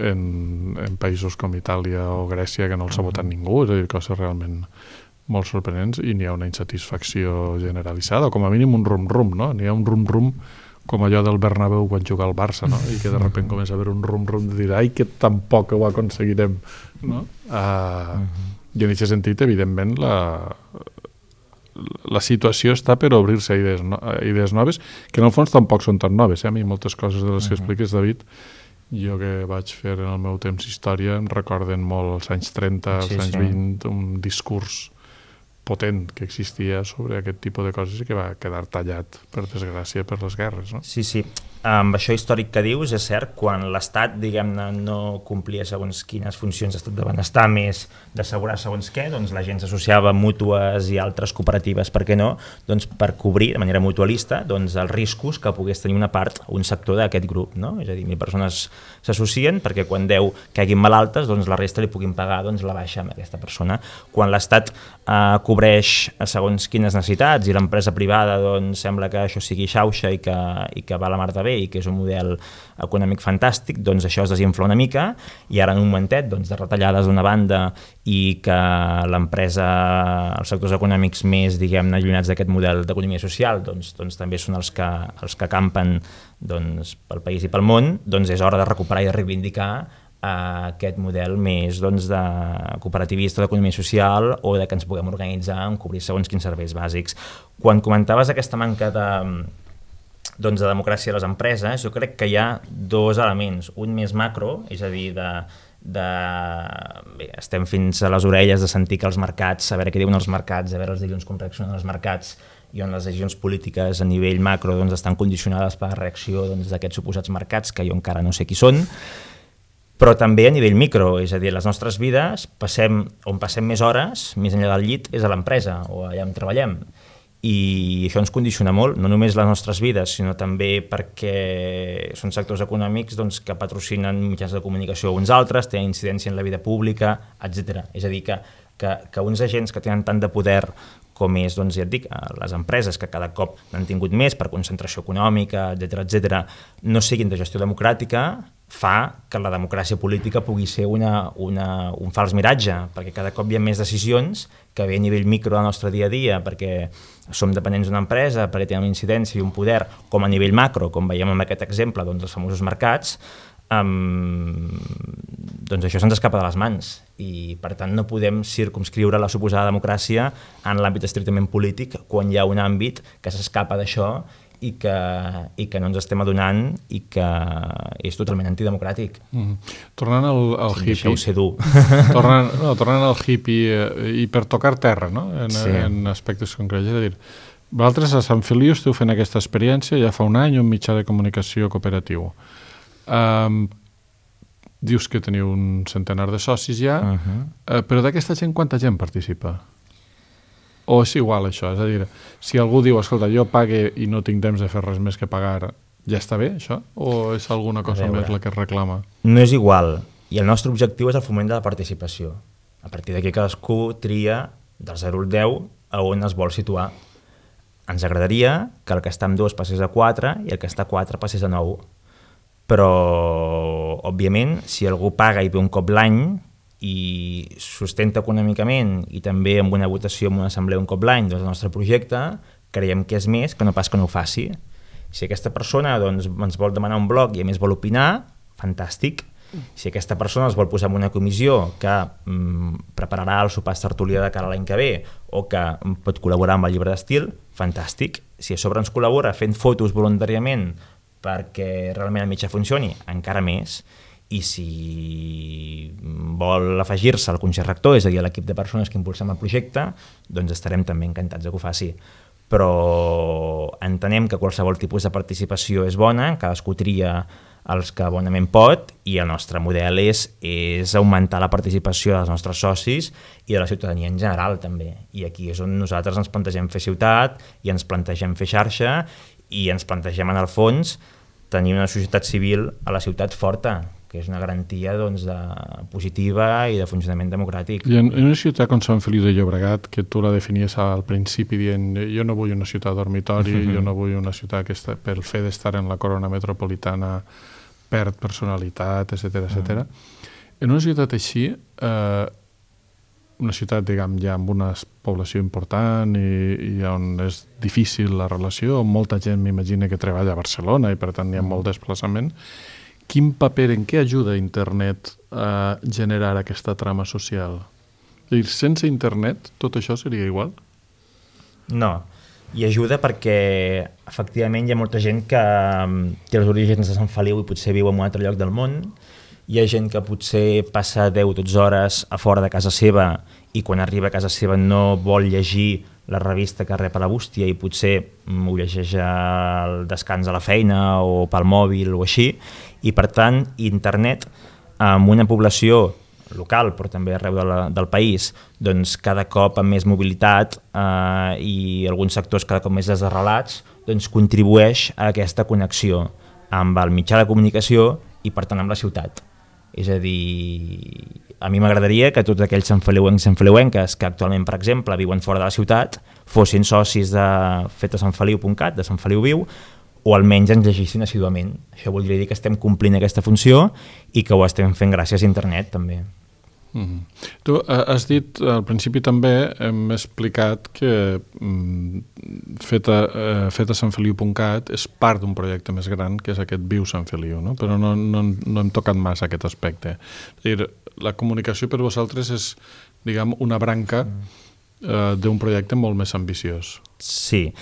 en països com Itàlia o Grècia que no els ha votat ningú, és a dir, coses realment molt sorprenents, i n'hi ha una insatisfacció generalitzada, o com a mínim un rum-rum, no? N'hi ha un rum-rum com allò del Bernabéu quan juga al Barça, no? I que de sobte comença a haver un rum-rum de dir ai, que tampoc ho aconseguirem, no? I en aquest sentit, evidentment, la situació està per obrir-se a idees noves, que en el fons tampoc són tan noves. A mi moltes coses de les que expliques, David, jo que vaig fer en el meu temps història, em recorden molt els anys 30, els anys 20, un discurs potent que existia sobre aquest tipus de coses i que va quedar tallat, per desgràcia, per les guerres, no? Sí. amb això històric que dius, és cert, quan l'Estat, diguem-ne, no complia segons quines funcions d'estat de benestar, més d'assegurar segons què, doncs la gent s'associava a mútues i altres cooperatives, per què no, doncs per cobrir de manera mutualista doncs els riscos que pogués tenir una part, un sector d'aquest grup, no? És a dir, 1.000 persones s'associen perquè quan 10 caiguin malaltes, doncs la resta li puguin pagar doncs, la baixa amb aquesta persona. Quan l'Estat cobreix segons quines necessitats i l'empresa privada doncs, sembla que això sigui xauxa i que va la mar de bé i que és un model econòmic fantàstic, doncs això es desinfla una mica i ara en un momentet doncs, de retallades d'una banda i que l'empresa, els sectors econòmics més, diguem-ne, allunyats d'aquest model d'economia social doncs també són els que campen doncs, pel país i pel món, doncs és hora de recuperar i de reivindicar aquest model més doncs, de cooperativista d'economia social o de que ens puguem organitzar en cobrir segons quins serveis bàsics. Quan comentaves aquesta manca de democràcia de les empreses, jo crec que hi ha dos elements, un més macro, és a dir, bé, estem fins a les orelles de sentir que els mercats, a veure què diuen els mercats, a veure els dilluns com reaccionen els mercats i on les decisions polítiques a nivell macro doncs, estan condicionades per la reacció doncs, d'aquests suposats mercats, que jo encara no sé qui són, però també a nivell micro, és a dir, les nostres vides, on passem més hores, més enllà del llit, és a l'empresa o allà on treballem. I això ens condiciona molt, no només les nostres vides, sinó també perquè són sectors econòmics doncs, que patrocinen mitjans de comunicació uns altres, tenen incidència en la vida pública, etc. És a dir, que uns agents que tenen tant de poder com és, doncs, ja et dic, les empreses que cada cop n'han tingut més per concentració econòmica, etc., no siguin de gestió democràtica, fa que la democràcia política pugui ser un fals miratge, perquè cada cop hi ha més decisions que ve a nivell micro del nostre dia a dia, perquè som dependents d'una empresa, perquè tenen una incidència i un poder, com a nivell macro, com veiem en aquest exemple, doncs els famosos mercats, doncs això se'ns escapa de les mans i per tant no podem circumscriure la suposada democràcia en l'àmbit estrictament polític quan hi ha un àmbit que s'escapa d'això i que no ens estem adonant i que és totalment antidemocràtic. Tornant al hippie... Deixeu ser dur. Tornant al hippie i per tocar terra, no? En aspectes concrets. És a dir, vosaltres a Sant Feliu esteu fent aquesta experiència ja fa un any, un mitjà de comunicació cooperatiu. Dius que teniu un centenar de socis ja, però d'aquesta gent quanta gent participa? O és igual això? És a dir, si algú diu, escolta, jo pague i no tinc temps de fer res més que pagar, ja està bé això? O és alguna cosa més la que es reclama? No és igual, i el nostre objectiu és el foment de la participació. A partir d'aquí cadascú tria del 0 al 10 a on es vol situar. Ens agradaria que el que està amb 2 passés a 4 i el que està a 4 passés a 9. Però, òbviament, si algú paga i ve un cop l'any i sustenta econòmicament i també amb una votació en una assemblea un cop l'any doncs el nostre projecte, creiem que és més que no pas que no ho faci. Si aquesta persona doncs, ens vol demanar un blog i a més vol opinar, fantàstic. Si aquesta persona es vol posar en una comissió que prepararà el sopar tertúlia de cara a l'any que ve o que pot col·laborar amb el llibre d'estil, fantàstic. Si a sobre ens col·labora fent fotos voluntàriament perquè realment el mitjà funcioni, encara més. I si vol afegir-se al Consell Rector, és a dir, a l'equip de persones que impulsem el projecte, doncs estarem també encantats de que ho faci. Però entenem que qualsevol tipus de participació és bona, cadascú tria els que bonament pot i el nostre model és augmentar la participació dels nostres socis i de la ciutadania en general també. I aquí és on nosaltres ens plantegem fer ciutat i ens plantegem fer xarxa i ens plantegem en el fons tenir una societat civil a la ciutat forta, que és una garantia doncs, positiva i de funcionament democràtic. I en una ciutat com Sant Feliu de Llobregat, que tu la definies al principi dient jo no vull una ciutat dormitori, jo no vull una ciutat que pel fet d'estar en la corona metropolitana perd personalitat, etc. En una ciutat així, una ciutat, diguem, ja amb una població important i on és difícil la relació, on molta gent m'imagina que treballa a Barcelona i per tant hi ha molt desplaçament, quin paper, en què ajuda internet a generar aquesta trama social? És a dir, sense internet tot això seria igual? No, i ajuda perquè efectivament hi ha molta gent que té els orígens de Sant Feliu i potser viu en un altre lloc del món hi ha gent que potser passa 10 o 12 hores a fora de casa seva i quan arriba a casa seva no vol llegir la revista que rep a la bústia i potser ho llegeix al descans a la feina o pel mòbil o així, i per tant internet amb una població local però també arreu del país doncs cada cop amb més mobilitat i alguns sectors cada cop més desarrelats doncs contribueix a aquesta connexió amb el mitjà de comunicació i per tant amb la ciutat. És a dir, a mi m'agradaria que tots aquells santfeliuencs i santfeliuenques que actualment, per exemple, viuen fora de la ciutat fossin socis de fetasanfeliu.cat, de Sant Feliu Viu, o almenys ens llegissin assíduament. Això voldria dir que estem complint aquesta funció i que ho estem fent gràcies a internet també. Tu has dit al principi també, hem explicat que fetasanfeliu.cat és part d'un projecte més gran que és aquest Viu Sant Feliu, no? Però no hem tocat massa aquest aspecte. És a dir, la comunicació per vosaltres és, diguem, una branca d'un projecte molt més ambiciós. Sí.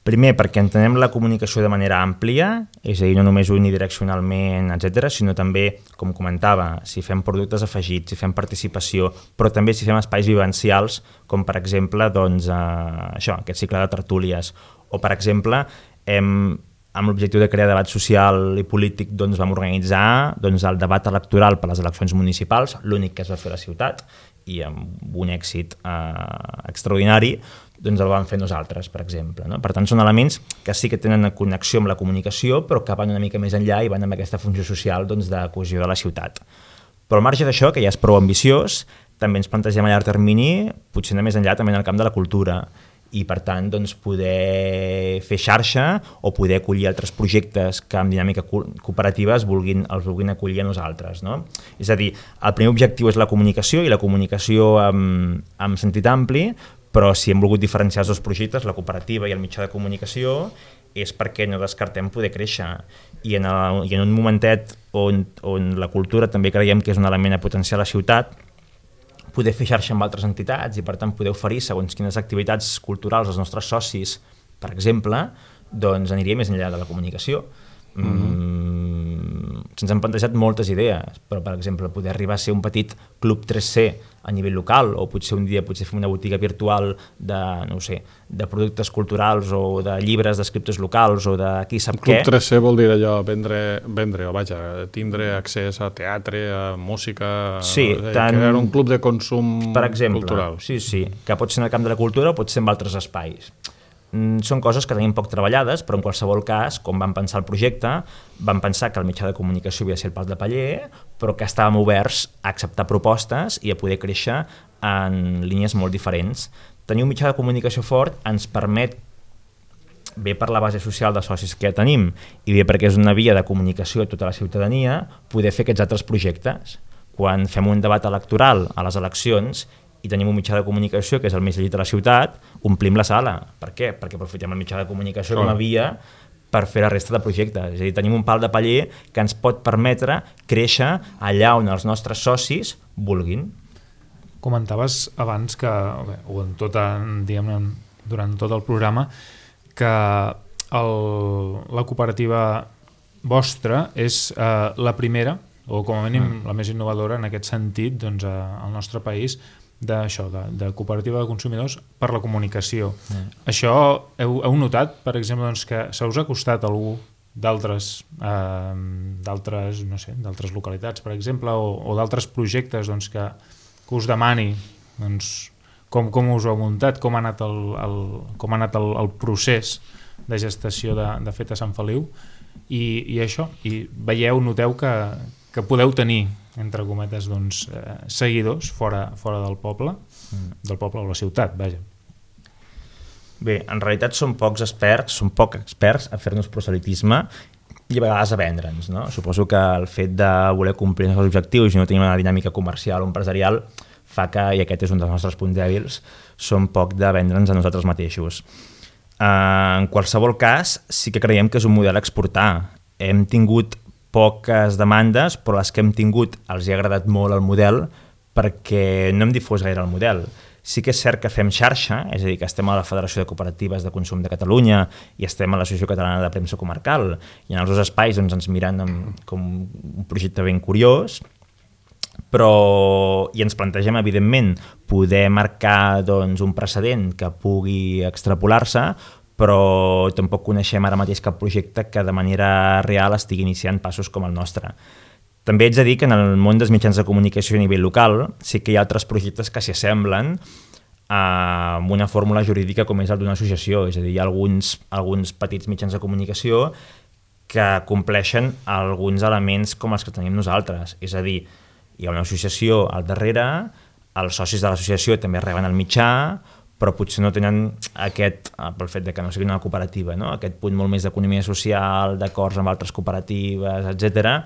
Primer, perquè entenem la comunicació de manera àmplia, és a dir, no només unidireccionalment, etc., sinó també, com comentava, si fem productes afegits, si fem participació, però també si fem espais vivencials, com per exemple doncs, això, aquest cicle de tertúlies, o per exemple, amb l'objectiu de crear debat social i polític doncs, vam organitzar doncs, el debat electoral per les eleccions municipals, l'únic que es va fer a la ciutat, i amb un èxit extraordinari, doncs el vam fer nosaltres, per exemple. No? Per tant, són elements que sí que tenen connexió amb la comunicació, però que van una mica més enllà i van amb aquesta funció social doncs, de cohesió de la ciutat. Però al marge d'això, que ja és prou ambiciós, també ens plantegem a llarg termini, potser anar més enllà també en el camp de la cultura, i per tant doncs, poder fer xarxa o poder acollir altres projectes que amb dinàmica cooperativa els vulguin acollir a nosaltres. No? És a dir, el primer objectiu és la comunicació i la comunicació amb sentit ampli, però si hem volgut diferenciar els dos projectes, la cooperativa i el mitjà de comunicació, és perquè no descartem poder créixer. I en un momentet on la cultura també creiem que és un element a potenciar la ciutat, poder fer xarxa amb altres entitats i per tant poder oferir segons quines activitats culturals als nostres socis, per exemple, doncs aniria més enllà de la comunicació. Se'ns han plantejat moltes idees, però per exemple poder arribar a ser un petit club 3C a nivell local, o potser un dia fer una botiga virtual de, no sé, de productes culturals o de llibres d'escriptors locals o de qui sap què. Club 3C vol dir allò, vendre o vaja, tindre accés a teatre, a música, sí, crear un club de consum per exemple, cultural. Sí, que pot ser en el camp de la cultura o pot ser en altres espais. Són coses que tenim poc treballades, però en qualsevol cas, quan vam pensar el projecte, vam pensar que el mitjà de comunicació havia de ser el pal de paller, però que estàvem oberts a acceptar propostes i a poder créixer en línies molt diferents. Tenir un mitjà de comunicació fort ens permet, bé per la base social de socis que ja tenim i bé perquè és una via de comunicació a tota la ciutadania, poder fer aquests altres projectes. Quan fem un debat electoral a les eleccions i tenim un mitjà de comunicació que és el més llegit de la ciutat, omplim la sala. Per què? Perquè aprofitem el mitjà de comunicació com a via per fer la resta de projectes. És a dir, tenim un pal de paller que ens pot permetre créixer allà on els nostres socis vulguin. Comentaves abans que, o en durant tot el programa, que la cooperativa vostra és la primera, o com a mínim la més innovadora en aquest sentit doncs, al nostre país, de cooperativa de consumidors per la comunicació. Això heu notat, per exemple, doncs, que se us ha costat algú d'altres no sé, d'altres localitats, per exemple, o d'altres projectes doncs, que us demani doncs, com us ho heu muntat, com ha anat el procés de gestació de Feta Sant Feliu i això, i noteu que podeu tenir entre cometes, doncs, seguidors fora del poble o la ciutat, vaja. Bé, en realitat som poc experts a fer-nos proselitisme i a vegades a vendre'ns, no? Suposo que el fet de voler complir els objectius i no tenir una dinàmica comercial o empresarial fa que, i aquest és un dels nostres punts dèbils, som poc de vendre'ns a nosaltres mateixos. En qualsevol cas, sí que creiem que és un model a exportar. Hem tingut poques demandes, però les que hem tingut els hi ha agradat molt el model perquè no hem difós gaire el model. Sí que és cert que fem xarxa, és a dir, que estem a la Federació de Cooperatives de Consum de Catalunya i estem a l'Associació Catalana de Premsa Comarcal, i en els dos espais doncs, ens miren com un projecte ben curiós, i ens plantegem, evidentment, poder marcar doncs, un precedent que pugui extrapolar-se, però tampoc coneixem ara mateix cap projecte que de manera real estigui iniciant passos com el nostre. També haig de dir que en el món dels mitjans de comunicació a nivell local sí que hi ha altres projectes que s'hi assemblen amb una fórmula jurídica com és el d'una associació, és a dir, hi ha alguns petits mitjans de comunicació que compleixen alguns elements com els que tenim nosaltres, és a dir, hi ha una associació al darrere, els socis de l'associació també reben el mitjà, però potser no tenen pel fet de que no sigui una cooperativa, no? Aquest punt molt més d'economia social, d'acords amb altres cooperatives, etc.,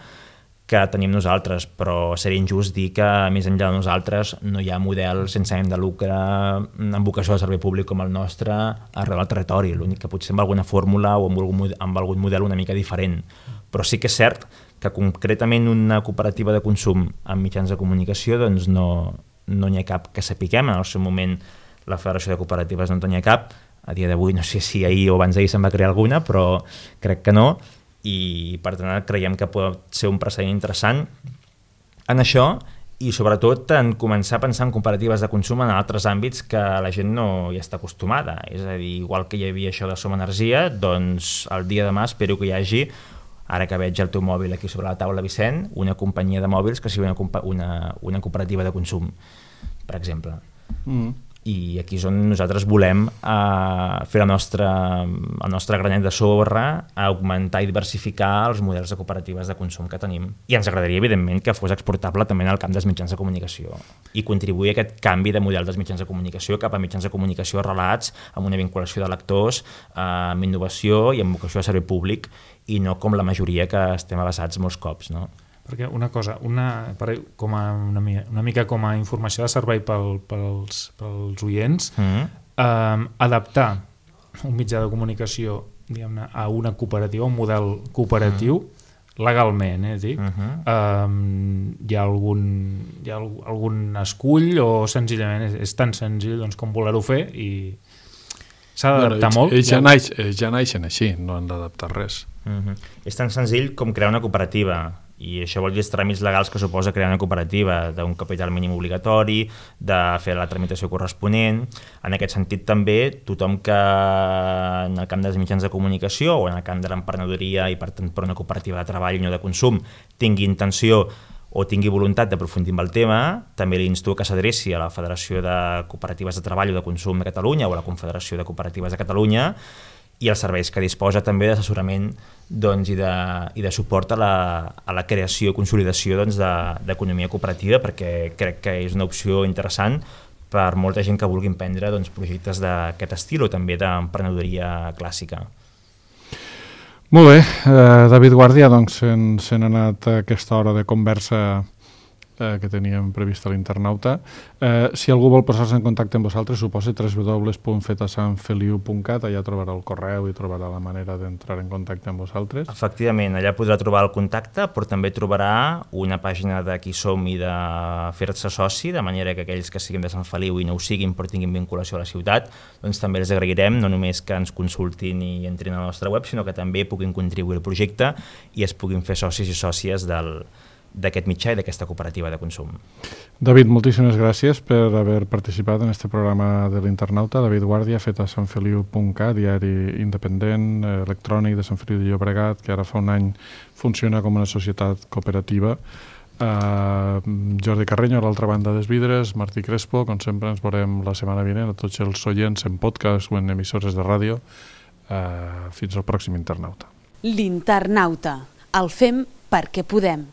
que tenim nosaltres, però seria injust dir que més enllà de nosaltres no hi ha model sense ànim de lucre amb vocació de servei públic com el nostre arreu del territori, l'únic que potser amb alguna fórmula o amb algun model una mica diferent, però sí que és cert que concretament una cooperativa de consum amb mitjans de comunicació doncs no n'hi ha cap que sapiguem. En el seu moment la Federació de Cooperatives no en tenia cap, a dia d'avui no sé si ahir o abans d'ahir se'n va crear alguna, però crec que no, i per tant creiem que pot ser un precedent interessant en això i sobretot en començar a pensar en cooperatives de consum en altres àmbits que la gent no hi està acostumada, és a dir, igual que hi havia això de Som Energia, doncs el dia de demà espero que hi hagi, ara que veig el teu mòbil aquí sobre la taula, Vicent, una companyia de mòbils que sigui una cooperativa de consum, per exemple. I aquí és on nosaltres volem fer el nostre granet de sorra, augmentar i diversificar els models de cooperatives de consum que tenim. I ens agradaria, evidentment, que fos exportable també en el camp dels mitjans de comunicació i contribuir a aquest canvi de model dels mitjans de comunicació cap a mitjans de comunicació arrelats amb una vinculació de lectors, amb innovació i amb vocació de servei públic i no com la majoria que estem avasats molts cops, no? Perquè una cosa, una mica com a informació de servei pels oients, adaptar un mitjà de comunicació diguem-ne, a una cooperativa, un model cooperatiu, legalment, hi ha algun escull o senzillament és tan senzill doncs, com voler-ho fer i s'ha d'adaptar molt? Ja naixen així, no han d'adaptar res. És tan senzill com crear una cooperativa, i això vol dir els tràmits legals que suposa crear una cooperativa, d'un capital mínim obligatori, de fer la tramitació corresponent. En aquest sentit també tothom que en el camp dels mitjans de comunicació o en el camp de l'emprenedoria i per tant per una cooperativa de treball i no de consum tingui intenció o tingui voluntat d'aprofundir amb el tema, també l'insto que s'adreci a la Federació de Cooperatives de Treball o de Consum de Catalunya o a la Confederació de Cooperatives de Catalunya i els serveis que disposa també d'assessorament doncs, i de suport a la creació i consolidació doncs, d'economia cooperativa, perquè crec que és una opció interessant per molta gent que vulgui emprendre doncs, projectes d'aquest estil o també d'emprenedoria clàssica. Molt bé, David Guàrdia, doncs se n'ha anat a aquesta hora de conversa que teníem previst a l'Internauta. Si algú vol posar-se en contacte amb vosaltres, suposa www.fetasanfeliu.cat, allà trobarà el correu i trobarà la manera d'entrar en contacte amb vosaltres. Efectivament, allà podrà trobar el contacte, però també trobarà una pàgina de qui som i de fer-se soci, de manera que aquells que siguin de Sant Feliu i no ho siguin però tinguin vinculació a la ciutat, doncs també els agrairem, no només que ens consultin i entrin a la nostra web, sinó que també puguin contribuir al projecte i es puguin fer socis i sòcies d'aquest mitjà i d'aquesta cooperativa de consum. David, moltíssimes gràcies per haver participat en este programa de l'Internauta. David Guàrdia, fetasanfeliu.cat, diari independent, electrònic de Sant Feliu de Llobregat, que ara fa un any funciona com una societat cooperativa. Jordi Carreño, a l'altra banda dels vidres, Martí Crespo, com sempre ens veurem la setmana vinent, a tots els oients en podcast o en emissores de ràdio. Fins al pròxim Internauta. L'Internauta. El fem perquè podem.